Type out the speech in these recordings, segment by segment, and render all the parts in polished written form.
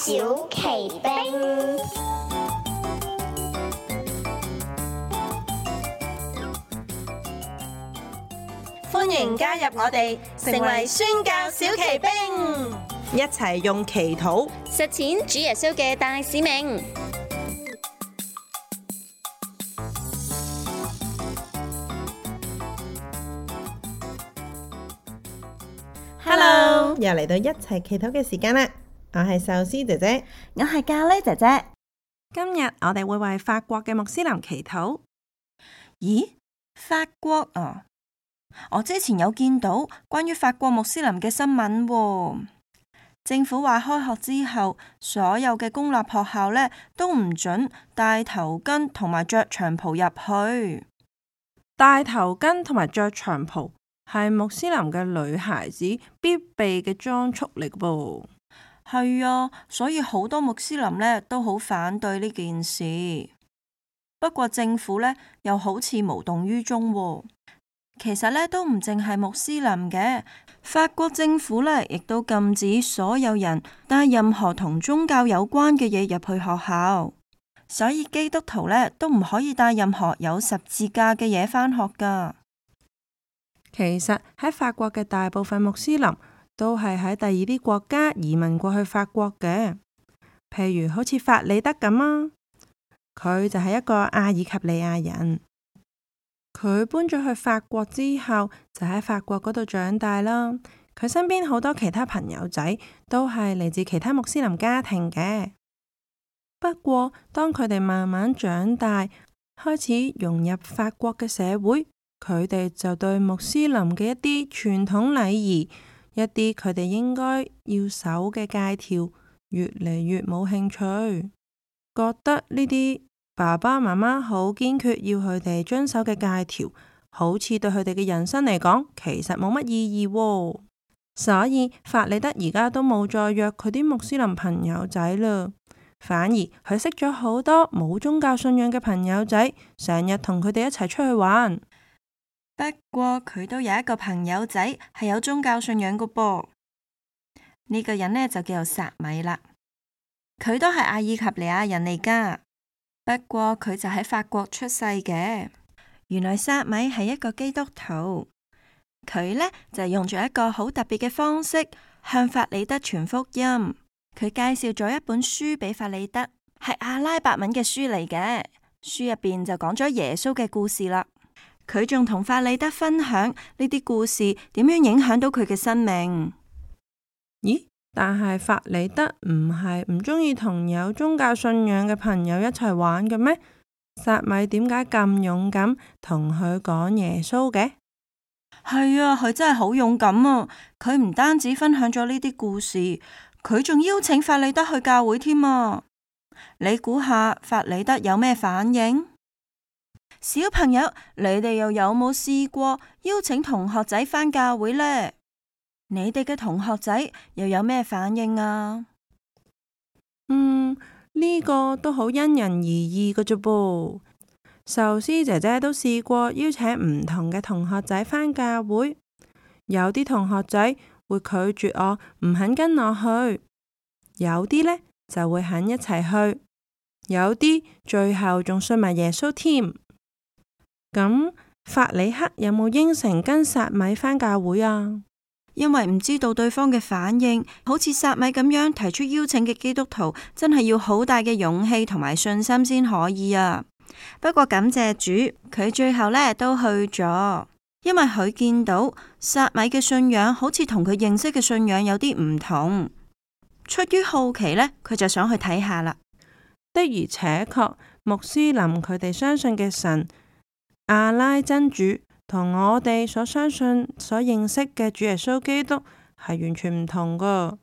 小奇兵。歡迎加入我哋，成為宣教小奇兵，一齊用祈禱實踐主耶穌嘅大使命。Hello，又嚟到一齊祈禱嘅時間啦！我係壽司姐姐，我係咖喱姐姐。今日我哋會為法國嘅穆斯林祈禱。咦？法國啊？我之前有見到關於法國穆斯林嘅新聞喎。政府話開學之後，所有嘅公立學校呢都唔准戴頭巾同埋着長袍入去。戴頭巾同埋着長袍係穆斯林嘅女孩子必備嘅裝束嚟噃。係啊，所以好多穆斯林呢都好反對呢件事。不過政府呢又好似無動於衷喎。其實呢都唔淨係穆斯林嘅，法國政府呢亦都禁止所有人帶任何同宗教有關嘅嘢入去學校，所以基督徒呢都唔可以帶任何有十字架嘅嘢返學㗎。其實喺法國嘅大部分穆斯林都係喺第二啲國家移民過去法國嘅，譬如好似法里德咁啊，佢就係一個阿爾及利亞人。佢搬咗去法國之後，就喺法國嗰度長大啦。佢身邊好多其他朋友仔都係嚟自其他穆斯林家庭嘅。不過，當佢哋慢慢長大，開始融入法國嘅社會，佢哋就對穆斯林嘅一啲傳統禮儀，一啲佢哋應該要守嘅戒條，越嚟越冇興趣，覺得呢啲爸爸媽媽好堅決要佢哋遵守嘅戒條，好似對佢哋嘅人生嚟講，其實冇乜意義喎。所以法里德而家都冇再約佢啲穆斯林朋友仔啦，反而佢識咗好多冇宗教信仰嘅朋友仔，成日同佢哋一齊出去玩。不過佢都有一個朋友仔係有宗教信仰㗎噃，呢個人呢就叫做薩米啦，佢都係阿爾及利亞人嚟㗎。不過佢就喺法國出世嘅。原來薩米係一個基督徒，佢呢就用咗一個好特別嘅方式向法里德傳福音。佢介紹咗一本書俾法里德，係阿拉伯文嘅書嚟嘅。書入邊就講咗耶穌嘅故事啦。佢仲同法里德分享呢啲故事點樣影響到佢嘅生命。咦？但係法里德唔係唔中意同有宗教信仰嘅朋友一齊玩嘅咩？薩米點解咁勇敢同佢講耶穌嘅？係啊，佢真係好勇敢啊！佢唔單止分享咗呢啲故事，佢仲邀請法里德去教會添啊！你估下法里德有咩反應？小朋友，你哋又有冇試過邀請同學仔返教會呢？你哋嘅同學仔又有咩反應啊？呢個都好因人而異嘅啫噃。壽司姐姐都試過邀請唔同嘅同學仔返教會，有啲同學仔會拒絕我，唔肯跟我去；有啲呢就會肯一齊去；有啲最後仲信埋耶穌添。咁法里克有冇應承跟薩米返教會啊？因為唔知道對方嘅反應，好似薩米咁樣提出邀請嘅基督徒，真係要好大嘅勇氣同埋信心先可以啊。不過感謝主，佢最後呢都去咗，因為佢見到薩米嘅信仰好似同佢認識嘅信仰有啲唔同。出於好奇呢，佢就想去睇下啦。的而且確，穆斯林佢哋相信嘅神阿拉真主，同我哋所相信、所認識嘅主耶穌基督係完全唔同噶。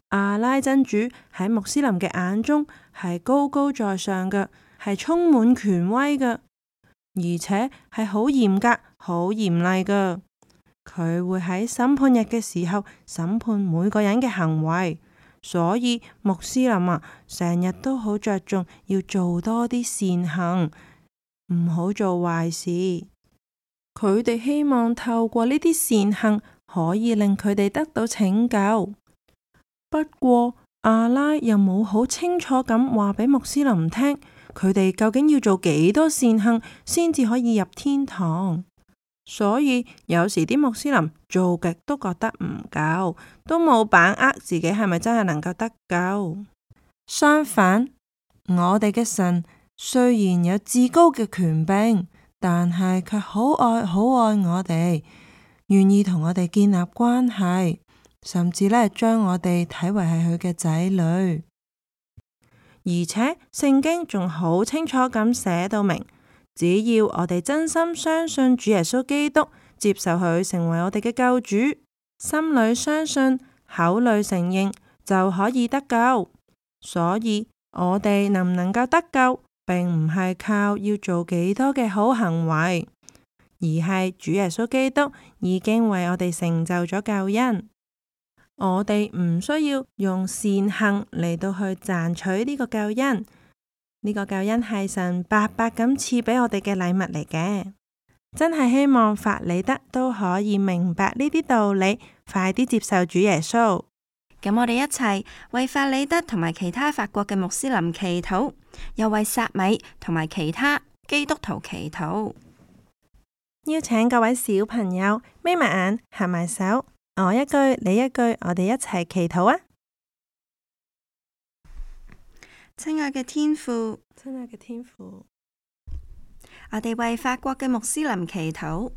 阿拉真主喺穆斯林嘅眼中係高高在上嘅，係充滿權威嘅，而且係好嚴格、好嚴厲嘅。佢會喺審判日嘅時候審判每個人嘅行為，所以穆斯林啊，成日都好着重要做多啲善行，唔好做壞事。佢哋希望透過呢啲善行可以令佢哋得到拯救。不過阿拉又冇好清楚咁話俾穆斯林聽，佢哋究竟要做幾多善行先至可以入天堂。所以有時啲穆斯林做極都覺得唔夠，都冇把握自己係咪真係能夠得救。相反，我哋嘅神雖然有至高嘅權柄，但係卻好愛我哋，願意同我哋建立關係，甚至呢將我哋睇為係佢嘅仔女。而且聖經仲好清楚咁寫到明，只要我哋真心相信主耶穌基督，接受佢成為我哋嘅救主，心裏相信，口裏承認，就可以得救。所以我哋能唔能夠得救，並唔係靠要做幾多嘅好行為，而係主耶穌基督已經為我哋成就咗救恩。我哋唔需要用善行嚟到去賺取呢個救恩，呢個救恩係神白白咁賜俾我哋嘅禮物嚟嘅。真係希望法里德都可以明白呢啲道理，快啲接受主耶穌。咁我哋一齊為法里德同埋其他法國嘅穆斯林祈禱，又為薩米同埋其他基督徒祈禱。邀請各位小朋友眯埋眼，合埋手，我一句你一句，我哋一齊祈禱啊！親愛嘅天父，親愛嘅天父，我哋為法國嘅穆斯林祈禱，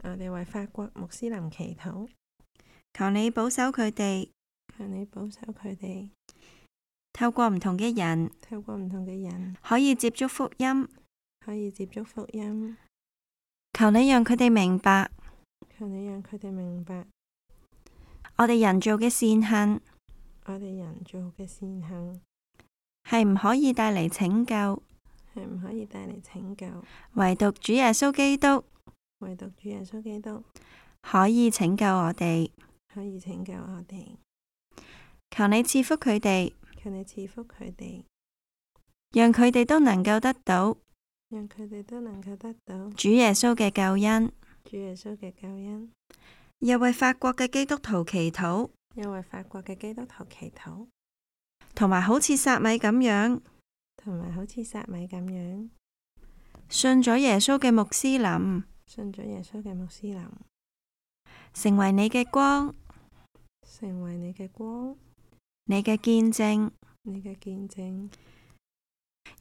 我哋為法國穆斯林祈禱，求你保守佢哋，求你保守佢哋，透過唔同嘅人，可以接觸福音，求你讓佢哋明白，我哋人做嘅善行，係唔可以帶嚟拯救，唯獨主耶穌基督可以拯救我哋。求你賜福佢哋，讓佢哋都能夠得到主耶穌嘅救恩。又為法國嘅基督徒祈禱，同埋好似撒米咁樣，信咗耶穌嘅穆斯林，成為你嘅光，你嘅見證，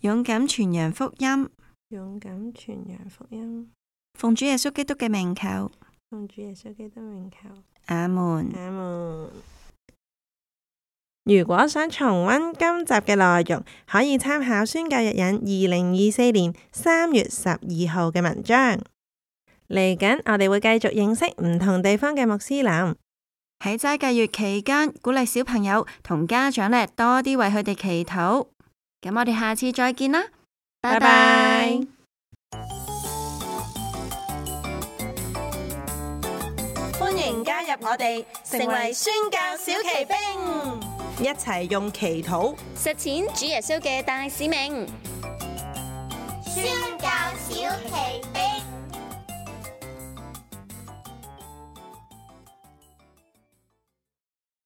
勇敢傳揚福音，奉主耶穌基督嘅名求，阿門。如果想重溫今集嘅內容，可以參考宣教日引2024年3月12號嘅文章。嚟緊我哋會繼續認識唔同地方嘅穆斯林。喺齋戒月期間，鼓勵小朋友同家長呢多啲為佢哋祈禱。咁我哋下次再見啦，拜拜。歡迎加入我哋，成為宣教小騎兵，一齊用祈禱實踐主耶穌嘅大使命。宣教小騎兵。